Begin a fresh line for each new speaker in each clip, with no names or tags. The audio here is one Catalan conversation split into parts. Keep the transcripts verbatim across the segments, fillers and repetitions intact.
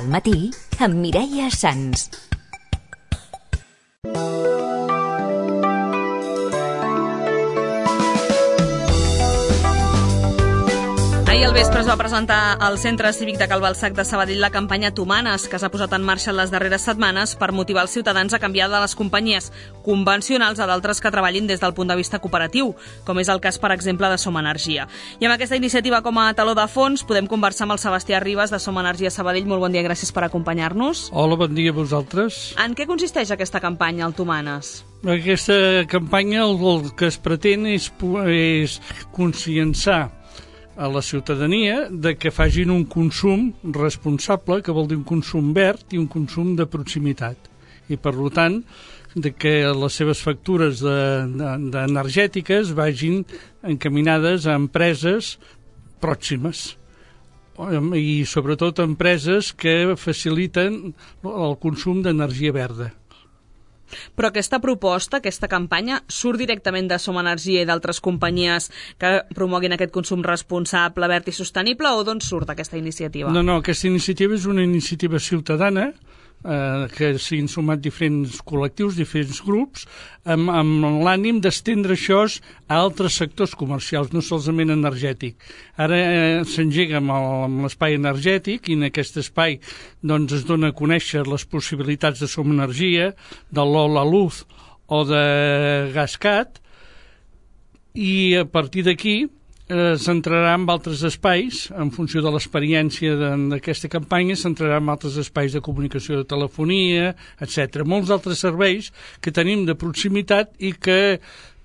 al matí amb Mireia Sans.
Ahir al vespre es va presentar al Centre Cívic de Cal Balsac de Sabadell la campanya Tumanes, que s'ha posat en marxa en les darreres setmanes per motivar els ciutadans a canviar de les companyies convencionals a d'altres que treballin des del punt de vista cooperatiu, com és el cas, per exemple, de Som Energia. I amb aquesta iniciativa com a taló de fons podem conversar amb el Sebastià Ribas de Som Energia Sabadell. Molt bon dia, gràcies per acompanyar-nos.
Hola, bon dia a vosaltres.
En què consisteix aquesta campanya, el Tumanes?
Aquesta campanya el, el que es pretén és, és conscienciar a la ciutadania de que facin un consum responsable, que vol dir un consum verd i un consum de proximitat. I, per tant, de que les seves factures de, de, de energètiques vagin encaminades a empreses pròximes i, sobretot, empreses que faciliten el consum d'energia verda.
Però aquesta proposta, aquesta campanya, surt directament de Som Energia i d'altres companyies que promoguin aquest consum responsable, verd i sostenible, o d'on surt aquesta iniciativa?
No, no, aquesta iniciativa és una iniciativa ciutadana eh, que s'hi han sumat diferents col·lectius, diferents grups, amb, amb l'ànim d'estendre això a altres sectors comercials, no solament energètic. Ara eh, s'engega amb, amb l'espai energètic i en aquest espai doncs, es dona a conèixer les possibilitats de Som Energia, de l'Ola Luz o de GasCat, i a partir d'aquí s'entrarà en altres espais, en funció de l'experiència d'aquesta campanya, s'entrarà en altres espais de comunicació, de telefonia, etcètera. Molts altres serveis que tenim de proximitat i que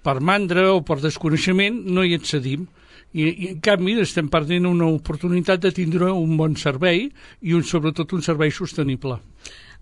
per mandra o per desconeixement no hi accedim. I, i en canvi estem perdent una oportunitat de tindre un bon servei i un, sobretot un servei sostenible.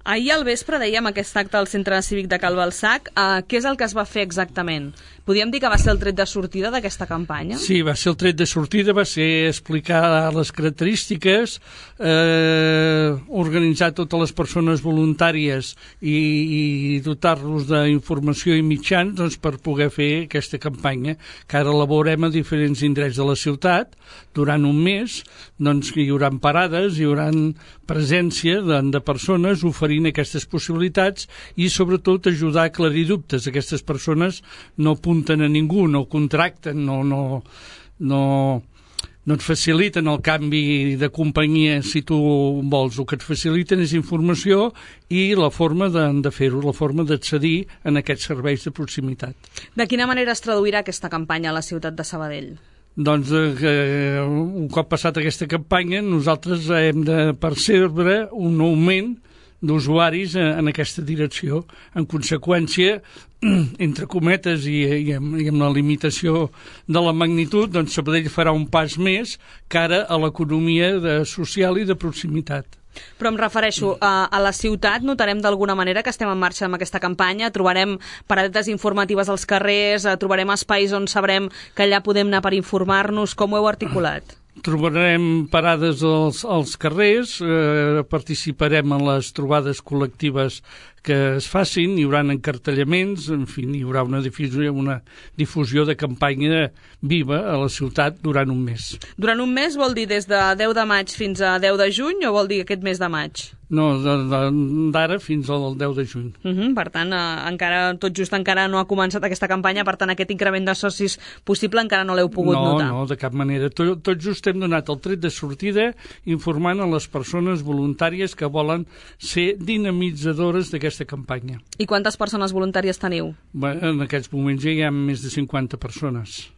Ahir al vespre dèiem aquest acte al Centre Cívic de Cal Balsac. Uh, què és el que es va fer exactament? Podríem dir que va ser el tret de sortida d'aquesta campanya?
Sí, va ser el tret de sortida, va ser explicar les característiques, eh, organitzar totes les persones voluntàries i, i dotar-los d'informació i mitjans doncs, per poder fer aquesta campanya, que ara elaborem a diferents indrets de la ciutat. Durant un mes doncs, hi haurà parades, hi haurà presència de, de persones oferint aquestes possibilitats i sobretot ajudar a aclarir dubtes. Aquestes persones no apunten a ningú, no contracten, no, no, no, no et faciliten el canvi de companyia si tu vols. El que et faciliten és informació i la forma de, de fer-ho, la forma d'accedir en aquests serveis de proximitat.
De quina manera es traduirà aquesta campanya a la ciutat de Sabadell?
Doncs eh, un cop passat aquesta campanya nosaltres hem de percebre un augment d'usuaris en aquesta direcció. En conseqüència, entre cometes i, i, amb, i amb la limitació de la magnitud, doncs Sabadell farà un pas més cara a l'economia de, social i de proximitat.
Però em refereixo a, a la ciutat, notarem d'alguna manera que estem en marxa amb aquesta campanya, trobarem paradetes informatives als carrers, trobarem espais on sabrem que allà podem anar per informar-nos. Com ho heu articulat?
Trobarem parades als, als carrers, eh, participarem en les trobades col·lectives que es facin, hi haurà encartellaments, en fi, hi haurà una difusió, una difusió de campanya viva a la ciutat durant un mes.
Durant un mes vol dir des de deu de maig fins a deu de juny o vol dir aquest mes de maig?
No, d'ara fins al deu de juny.
Uh -huh, per tant, eh, encara, tot just encara no ha començat aquesta campanya, per tant, aquest increment de socis possible encara no l'heu pogut
no,
notar.
No, no, de cap manera. Tot, tot just hem donat el tret de sortida informant a les persones voluntàries que volen ser dinamitzadores d'aquesta campanya.
I quantes persones voluntàries teniu?
Bé, en aquests moments ja hi ha més de cinquanta persones.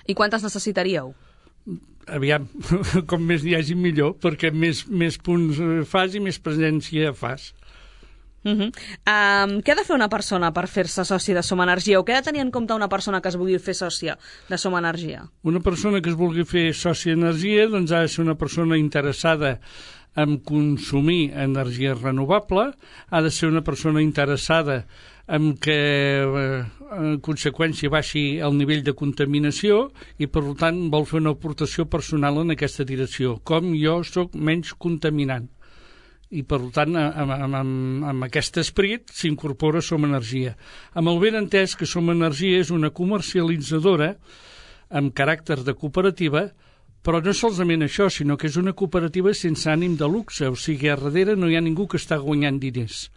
I quantes necessitaríeu?
Aviam, com més n'hi hagi millor, perquè més, més punts fas i més presència fas.
Uh -huh. um, què ha de fer una persona per fer-se soci de Som Energia, o què ha de tenir en compte una persona que es vulgui fer sòcia de Som Energia?
Una persona que es vulgui fer sòcia d'energia doncs ha de ser una persona interessada en consumir energia renovable, ha de ser una persona interessada en que eh, en conseqüència baixi el nivell de contaminació i per tant vol fer una aportació personal en aquesta direcció, com jo sóc menys contaminant. I per tant amb, amb, amb, amb aquest esperit s'incorpora Som Energia, amb el ben entès que Som Energia és una comercialitzadora amb caràcter de cooperativa Però no solament això, sinó que és una cooperativa sense ànim de luxe, o sigui, a darrere no hi ha ningú que està guanyant diners.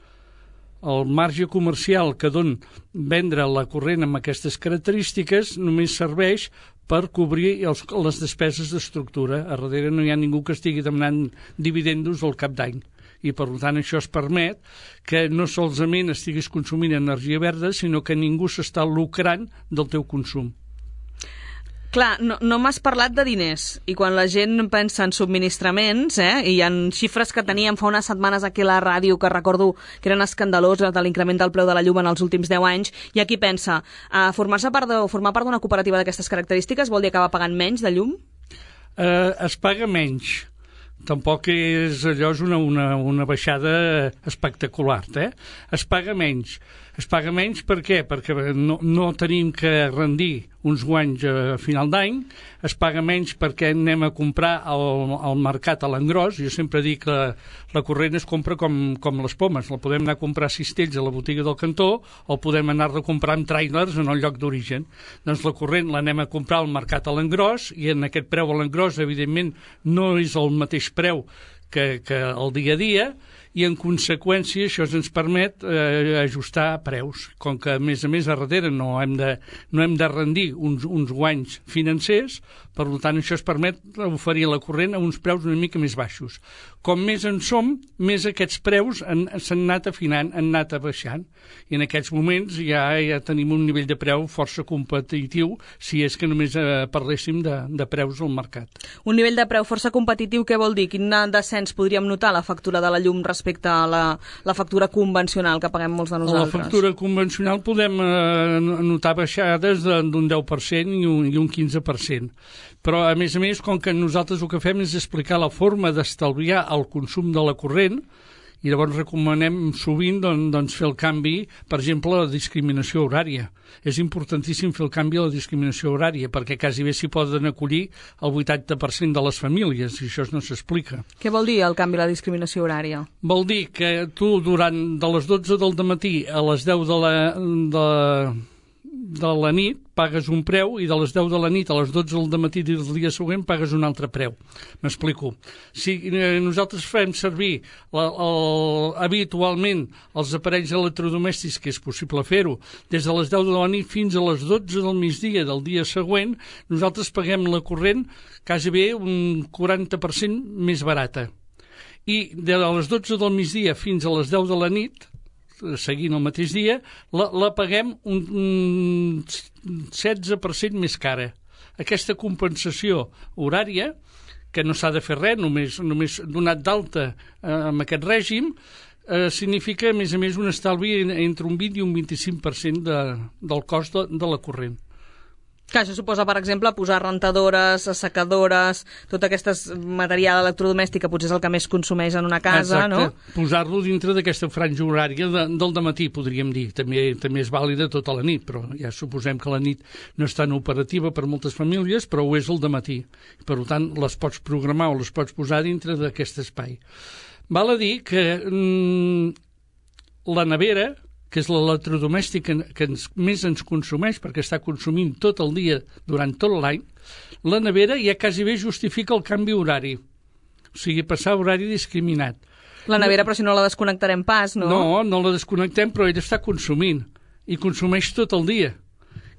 El marge comercial que don vendre la corrent amb aquestes característiques només serveix per cobrir els, les despeses d'estructura. A darrere no hi ha ningú que estigui demanant dividendos al cap d'any. I, per tant, això es permet que no solament estiguis consumint energia verda, sinó que ningú s'està lucrant del teu consum.
Clar, no, no m'has parlat de diners, i quan la gent pensa en subministraments, eh, i hi ha xifres que teníem fa unes setmanes aquí a la ràdio que recordo que eren escandaloses de l'increment del preu de la llum en els últims deu anys, i aquí pensa, eh, formar-se part de, formar part d'una cooperativa d'aquestes característiques vol dir acabar pagant menys de llum?
Eh, es paga menys. Tampoc és allò és una, una, una baixada espectacular, eh? Es paga menys. Es paga menys per què? Perquè no, no tenim que rendir uns guanys a final d'any, es paga menys perquè anem a comprar al, al mercat a l'engròs. Jo sempre dic que la, la corrent es compra com, com les pomes, la podem anar a comprar a cistells a la botiga del cantó o podem anar a comprar amb trailers en el lloc d'origen. Doncs la corrent l'anem a comprar al mercat a l'engròs i en aquest preu a l'engròs, evidentment, no és el mateix preu que, que el dia a dia, i en conseqüència això ens permet eh, ajustar preus. Com que a més a més a darrere no hem de, no hem de rendir uns, uns guanys financers, per tant això es permet oferir la corrent a uns preus una mica més baixos. Com més en som, més aquests preus s'han anat afinant, han anat baixant, i en aquests moments ja, ja tenim un nivell de preu força competitiu si és que només eh, parléssim de, de preus al mercat.
Un nivell de preu força competitiu, què vol dir? Quin descens podríem notar a la factura de la llum respecte a la, la factura convencional que paguem molts de nosaltres?
A la factura convencional podem eh, notar baixades d'un deu per cent i un, i un quinze per cent. Però, a més a més, com que nosaltres el que fem és explicar la forma d'estalviar el consum de la corrent, i llavors recomanem sovint doncs, doncs, fer el canvi, per exemple, a la discriminació horària. És importantíssim fer el canvi a la discriminació horària, perquè quasi bé s'hi poden acollir el vuitanta per cent de les famílies, i això no s'explica.
Què vol dir el canvi a la discriminació horària?
Vol dir que tu, durant de les dotze del matí a les deu de la... De... de la nit pagues un preu i de les deu de la nit a les dotze del matí del dia següent pagues un altre preu. M'explico. Si nosaltres fem servir la, el, habitualment els aparells electrodomèstics, que és possible fer-ho, des de les deu de la nit fins a les dotze del migdia del dia següent, nosaltres paguem la corrent quasi bé un quaranta per cent més barata. I de les dotze del migdia fins a les deu de la nit, seguint el mateix dia, la, la paguem un, un setze per cent més cara. Aquesta compensació horària, que no s'ha de fer res, només, només donat d'alta eh, amb aquest règim, eh, significa, a més a més, un estalvi entre un vint i un vint-i-cinc per cent de, del cost de, de la corrent.
Que això suposa, per exemple, posar rentadores, assecadores, tot aquest material electrodomèstic que potser és el que més consumeix en una casa,
exacte, no? Posar-lo dintre d'aquesta franja horària de, del dematí, podríem dir. També, també és vàlida tota la nit, però ja suposem que la nit no és tan operativa per moltes famílies, però ho és el dematí. Per tant, les pots programar o les pots posar dintre d'aquest espai. Val a dir que mm, la nevera, que és l'electrodomèstic que, que ens, més ens consumeix, perquè està consumint tot el dia durant tot l'any, la nevera ja quasi bé justifica el canvi horari. O sigui, passar horari discriminat.
La nevera, però si no la desconnectarem pas, no?
No, no la desconnectem, però ella està consumint. I consumeix tot el dia.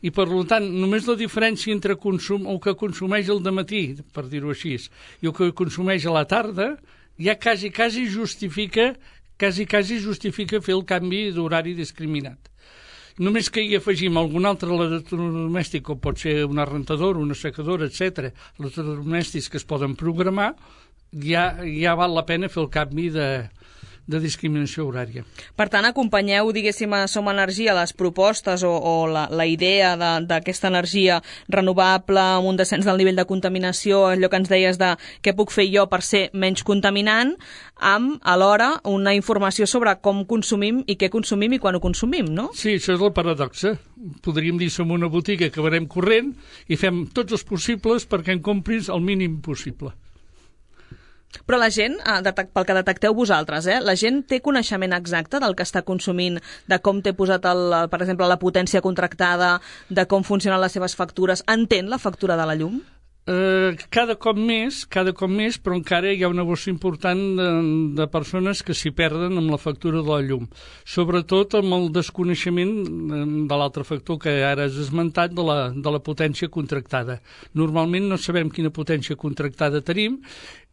I, per tant, només la diferència entre consum, el que consumeix al dematí, per dir-ho així, i el que consumeix a la tarda, ja quasi, quasi justifica quasi, quasi justifica fer el canvi d'horari discriminat. Només que hi afegim algun altre electrodomèstic, com pot ser una rentadora, una secadora, etcètera, electrodomèstics que es poden programar, ja, ja val la pena fer el canvi de, de discriminació horària.
Per tant, acompanyeu, diguéssim, a Som Energia les propostes o, o la, la idea d'aquesta energia renovable amb un descens del nivell de contaminació, allò que ens deies de què puc fer jo per ser menys contaminant, amb, alhora, una informació sobre com consumim i què consumim i quan ho consumim, no?
Sí, això és la paradoxa. Podríem dir som una botiga que venem corrent i fem tots els possibles perquè en compris el mínim possible.
Però la gent, pel que detecteu vosaltres, eh, la gent té coneixement exacte del que està consumint, de com té posat, el, per exemple, la potència contractada, de com funcionen les seves factures, entén la factura de la llum?
Eh, cada cop més, cada cop més, però encara hi ha una bossa important de, de persones que s'hi perden amb la factura de la llum. Sobretot amb el desconeixement de l'altre factor que ara has esmentat, de la, de la potència contractada. Normalment no sabem quina potència contractada tenim,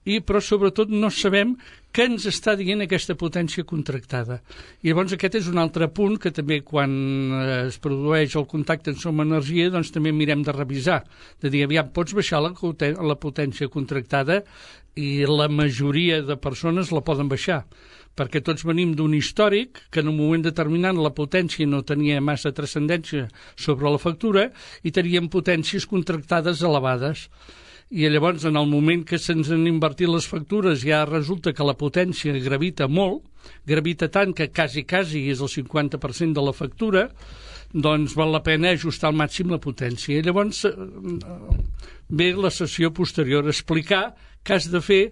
i però sobretot no sabem què ens està dient aquesta potència contractada. I llavors aquest és un altre punt que també quan es produeix el contacte en Som Energia doncs també mirem de revisar, de dir, aviam, pots baixar la, la potència contractada, i la majoria de persones la poden baixar, perquè tots venim d'un històric que en un moment determinat la potència no tenia massa transcendència sobre la factura i teníem potències contractades elevades. I llavors, en el moment que se'ns han invertit les factures, ja resulta que la potència gravita molt, gravita tant que quasi, quasi és el cinquanta per cent de la factura, doncs val la pena ajustar al màxim la potència. I llavors ve la sessió posterior, explicar què has de fer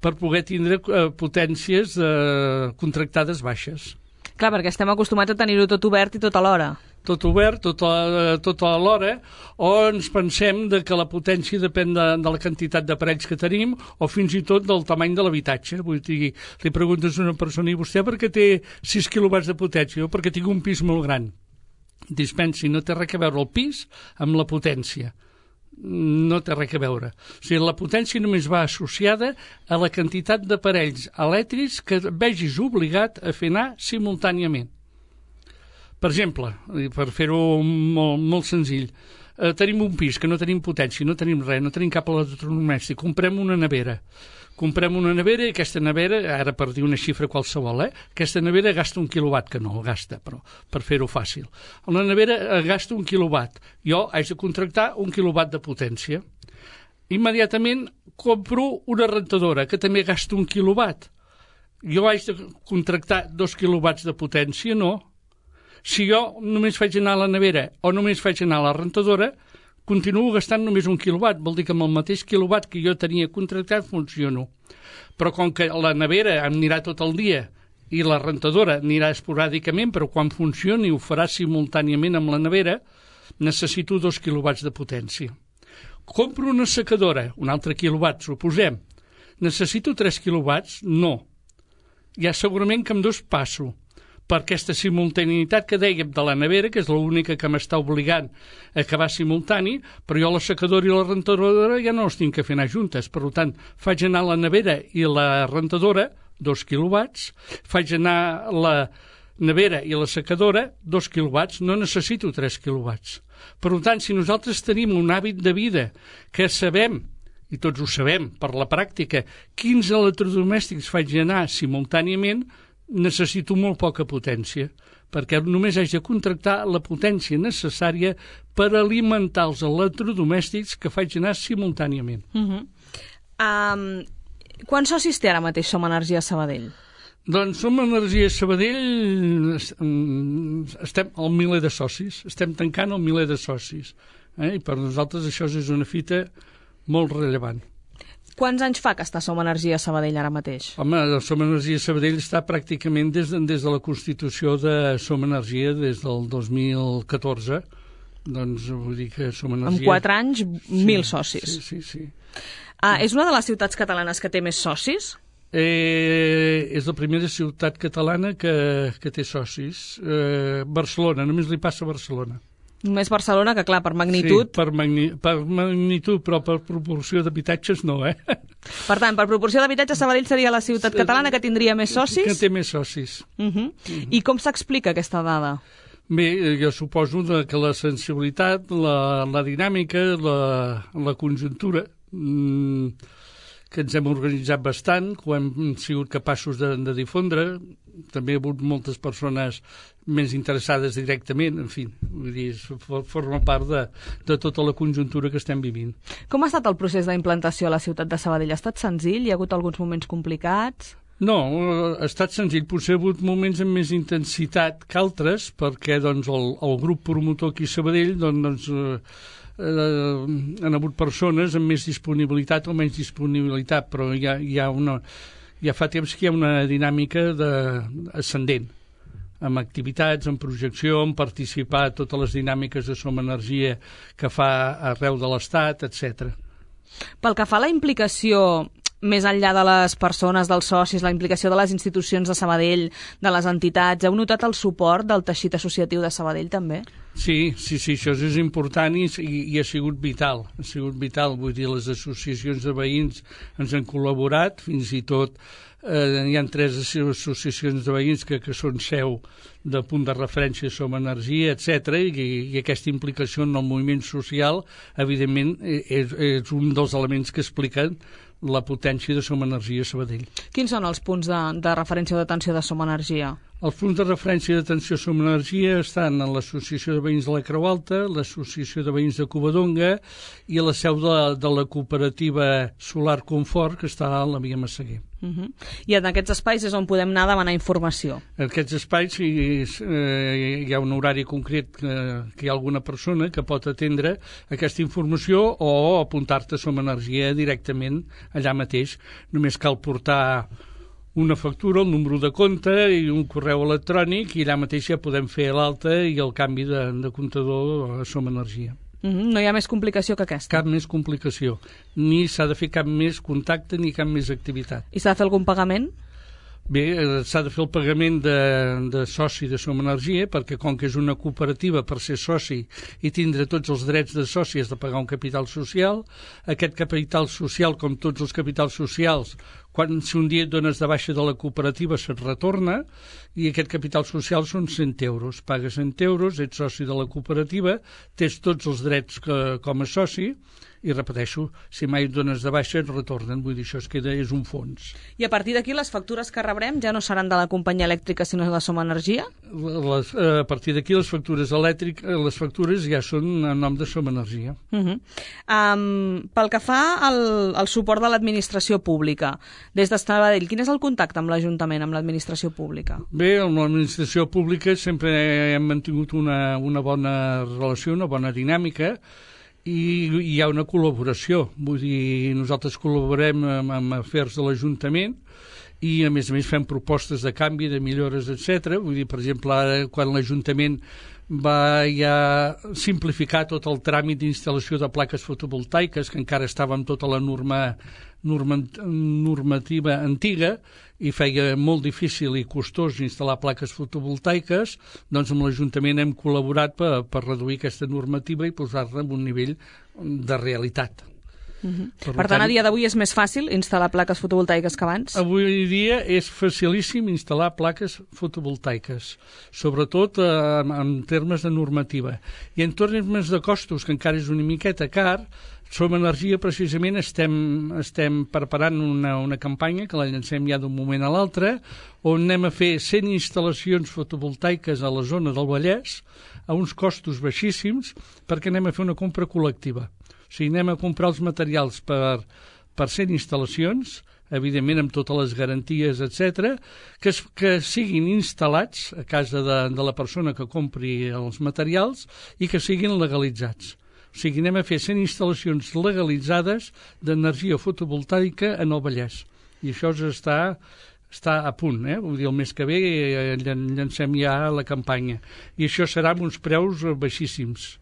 per poder tindre potències eh, contractades baixes.
Clar, perquè estem acostumats a tenir-ho tot obert i tot alhora.
Tot obert, tot a, tot a l'hora, o ens pensem de que la potència depèn de, de la quantitat d'aparells que tenim o fins i tot del tamany de l'habitatge. Vull dir, li preguntes a una persona, i vostè per què té sis quilowatts de potència? O perquè tinc un pis molt gran. Dispensi, no té res a veure el pis amb la potència. No té res a veure. O sigui, la potència només va associada a la quantitat d'aparells elèctrics que vegis obligat a fer anar simultàniament. Per exemple, per fer-ho molt, molt senzill, eh, tenim un pis que no tenim potència, no tenim res, no tenim cap electrodomèstic, comprem una nevera. Comprem una nevera i aquesta nevera, ara per dir una xifra qualsevol, eh, aquesta nevera gasta un quilowatt, que no el gasta, però per fer-ho fàcil. La nevera gasta un quilowatt. Jo haig de contractar un quilowatt de potència. Immediatament compro una rentadora, que també gasta un quilowatt. Jo haig de contractar dos quilowatts de potència? No. Si jo només faig anar a la nevera o només faig anar a la rentadora, continuo gastant només un quilowatt. Vol dir que amb el mateix quilowatt que jo tenia contractat funciono. Però com que la nevera em anirà tot el dia i la rentadora anirà esporàdicament, però quan funcioni ho farà simultàniament amb la nevera, necessito dos quilowatts de potència. Compro una secadora, un altre quilowatt, suposem. Necessito tres quilowatts? No. Ja segurament que amb dos passo. Per aquesta simultaneïtat que dèiem de la nevera, que és l'única que m'està obligant a acabar simultani, però jo la secadora i la rentadora ja no els tinc que fer anar juntes. Per tant, faig anar la nevera i la rentadora, dos quilowatts, faig anar la nevera i la secadora, dos quilowatts, no necessito tres quilowatts. Per tant, si nosaltres tenim un hàbit de vida que sabem, i tots ho sabem per la pràctica, quins electrodomèstics faig anar simultàniament, necessito molt poca potència, perquè només haig de contractar la potència necessària per alimentar els electrodomèstics que faig anar simultàniament.
Uh-huh. um, Quants socis té ara mateix Som Energia Sabadell?
Doncs Som Energia Sabadell estem al miler de socis, estem tancant el miler de socis, eh? I per nosaltres això és una fita molt rellevant.
Quants anys fa que està Som Energia Sabadell ara mateix?
Home, Som Energia Sabadell està pràcticament des de, des de la constitució de Som Energia, des del dos mil catorze. Doncs vull dir que Som Energia...
En quatre anys,
sí,
mil socis.
Sí, sí, sí.
Ah, és una de les ciutats catalanes que té més socis?
Eh, és la primera ciutat catalana que, que té socis. Eh, Barcelona, només li passa a Barcelona.
Només Barcelona, que clar, per magnitud...
Sí, per, magni per magnitud, però per proporció d'habitatges no, eh?
Per tant, per proporció d'habitatges, Sabadell seria la ciutat catalana que tindria més socis?
Que té més socis.
Uh -huh. Uh -huh. I com s'explica aquesta dada?
Bé, jo suposo que la sensibilitat, la, la dinàmica, la, la conjuntura, mmm, que ens hem organitzat bastant, que ho hem sigut capaços de, de difondre. També hi ha hagut moltes persones més interessades directament, en fi, vull dir, forma part de, de tota la conjuntura que estem vivint.
Com ha estat el procés d'implantació a la ciutat de Sabadell? Ha estat senzill? Hi ha hagut alguns moments complicats?
No, ha estat senzill. Potser ha hagut moments amb més intensitat que altres, perquè doncs, el, el grup promotor aquí a Sabadell doncs, eh, eh, han hagut persones amb més disponibilitat o menys disponibilitat, però hi ha, hi ha una, ja fa temps que hi ha una dinàmica de, ascendent, amb activitats, amb projecció, amb participar a totes les dinàmiques de Som Energia que fa arreu de l'Estat, etcètera.
Pel que fa a la implicació més enllà de les persones, dels socis, la implicació de les institucions de Sabadell, de les entitats, heu notat el suport del teixit associatiu de Sabadell també?
Sí, sí, sí, això és important i, i ha sigut vital, ha sigut vital, vull dir, les associacions de veïns ens han col·laborat, fins i tot eh, hi ha tres associacions de veïns que, que són seu de punt de referència Som Energia, etcètera, i, i aquesta implicació en el moviment social, evidentment, és, és un dels elements que expliquen la potència de Som Energia a Sabadell.
Quins són els punts de, de referència o d'atenció de Som Energia?
Els punts de referència d'atenció Som Energia estan en l'Associació de Veïns de la Creu Alta, l'Associació de Veïns de Covadonga i a la seu de, de la cooperativa Solar Confort, que està a la Via Massaguer.
Uh-huh. I en aquests espais és on podem anar a demanar informació?
En aquests espais hi, eh, hi ha un horari concret que, que hi ha alguna persona que pot atendre aquesta informació o apuntar-te a Som Energia directament allà mateix. Només cal portar una factura, el número de compte i un correu electrònic i allà mateix ja podem fer l'alta i el canvi de, de comptador a Som Energia.
Mm-hmm. No hi ha més complicació que aquesta?
Cap més complicació. Ni s'ha de fer cap més contacte ni cap més activitat.
I s'ha de fer algun pagament?
Bé, s'ha de fer el pagament de, de soci de Som Energia, perquè com que és una cooperativa, per ser soci i tindre tots els drets de soci has de pagar un capital social. Aquest capital social, com tots els capitals socials, quan si un dia et dones de baixa de la cooperativa se't retorna, i aquest capital social són cent euros. Pagues cent euros, ets soci de la cooperativa, tens tots els drets que, com a soci, i repeteixo, si mai et dones de baixa et retornen, vull dir, això es queda, és un fons.
I a partir d'aquí les factures que rebrem ja no seran de la companyia elèctrica sinó de Som Energia?
Les, a partir d'aquí les factures elèctriques, les factures ja són en nom de Som Energia.
Uh-huh. um, pel que fa al, al suport de l'administració pública, des de Sabadell, quin és el contacte amb l'Ajuntament, amb l'administració pública?
Bé, amb l'administració pública sempre hem mantingut una, una bona relació, una bona dinàmica, i hi ha una col·laboració, vull dir, nosaltres col·laborem amb, amb afers de l'Ajuntament i a més a més fem propostes de canvi, de millores, etcètera. Vull dir, per exemple, ara quan l'Ajuntament va ja simplificar tot el tràmit d'instal·lació de plaques fotovoltaiques, que encara estava amb tota la norma, norma, normativa antiga i feia molt difícil i costós instal·lar plaques fotovoltaiques, doncs amb l'Ajuntament hem col·laborat per, per reduir aquesta normativa i posar-la en un nivell de realitat.
Uh-huh. Per, per tant, a dia d'avui és més fàcil instal·lar plaques fotovoltaiques que abans?
Avui dia és facilíssim instal·lar plaques fotovoltaiques, sobretot eh, en termes de normativa. I en termes de costos, que encara és una miqueta car, Som Energia precisament estem, estem preparant una, una campanya que la llancem ja d'un moment a l'altre, on anem a fer cent instal·lacions fotovoltaiques a la zona del Vallès a uns costos baixíssims perquè anem a fer una compra col·lectiva. O sigui, anem a comprar els materials per, per cent instal·lacions, evidentment amb totes les garanties, etcètera, que, que siguin instal·lats a casa de, de la persona que compri els materials i que siguin legalitzats. O sigui, anem a fer cent instal·lacions legalitzades d'energia fotovoltaica en el Vallès. I això està, està a punt, eh? Vull dir, el mes que ve llancem ja la campanya. I això serà amb uns preus baixíssims.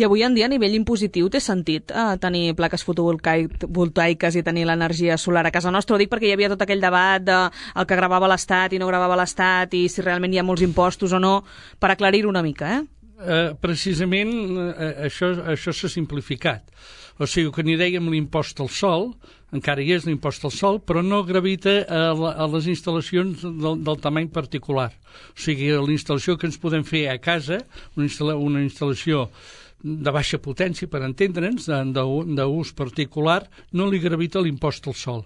I avui en dia, a nivell impositiu, té sentit eh, tenir plaques fotovoltaiques i tenir l'energia solar a casa nostra? Ho dic perquè hi havia tot aquell debat de el que gravava l'Estat i no gravava l'Estat i si realment hi ha molts impostos o no, per aclarir-ho una mica, eh?
Uh, precisament uh, això, això s'ha simplificat. O sigui, que n'hi dèiem l'impost al sol, encara hi és l'impost al sol, però no gravita a, la, a les instal·lacions del, del tamany particular. O sigui, l'instal·lació que ens podem fer a casa, una, instal·la, una instal·lació de baixa potència, per entendre'ns, d'ús particular, no li gravita l'impost al sol.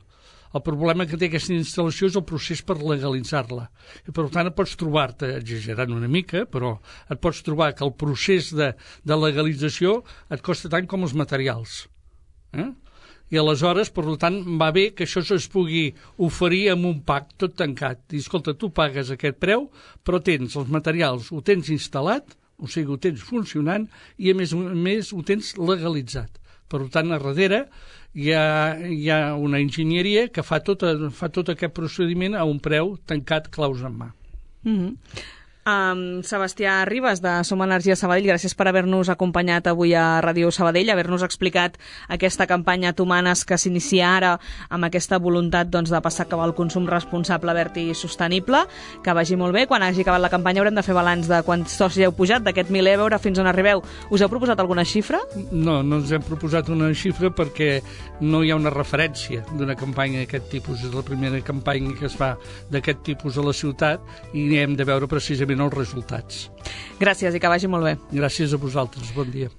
El problema que té aquesta instal·lació és el procés per legalitzar-la. I per tant, et pots trobar-te, exagerant una mica, però et pots trobar que el procés de, de legalització et costa tant com els materials. Eh? I aleshores, per tant, va bé que això es pugui oferir amb un pack tot tancat. I, escolta, tu pagues aquest preu, però tens els materials, ho tens instal·lat, o sigui, ho tens funcionant, i a més a més ho tens legalitzat. Per tant, a darrere hi ha, hi ha una enginyeria que fa tot, fa tot aquest procediment a un preu tancat claus en mà.
Mm-hmm. Um, Sebastià Ribas, de Som Energia Sabadell, gràcies per haver-nos acompanyat avui a Ràdio Sabadell, haver-nos explicat aquesta campanya Tumanes que s'inicia ara amb aquesta voluntat doncs, de passar cap al consum responsable, verd i sostenible. Que vagi molt bé. Quan hagi acabat la campanya haurem de fer balanç de quants socis heu pujat, d'aquest mil euros fins on arribeu. Us heu proposat alguna xifra?
No, no ens hem proposat una xifra perquè no hi ha una referència d'una campanya d'aquest tipus. És la primera campanya que es fa d'aquest tipus a la ciutat i hem de veure precisament els resultats.
Gràcies i que vagi molt bé.
Gràcies a vosaltres. Bon dia.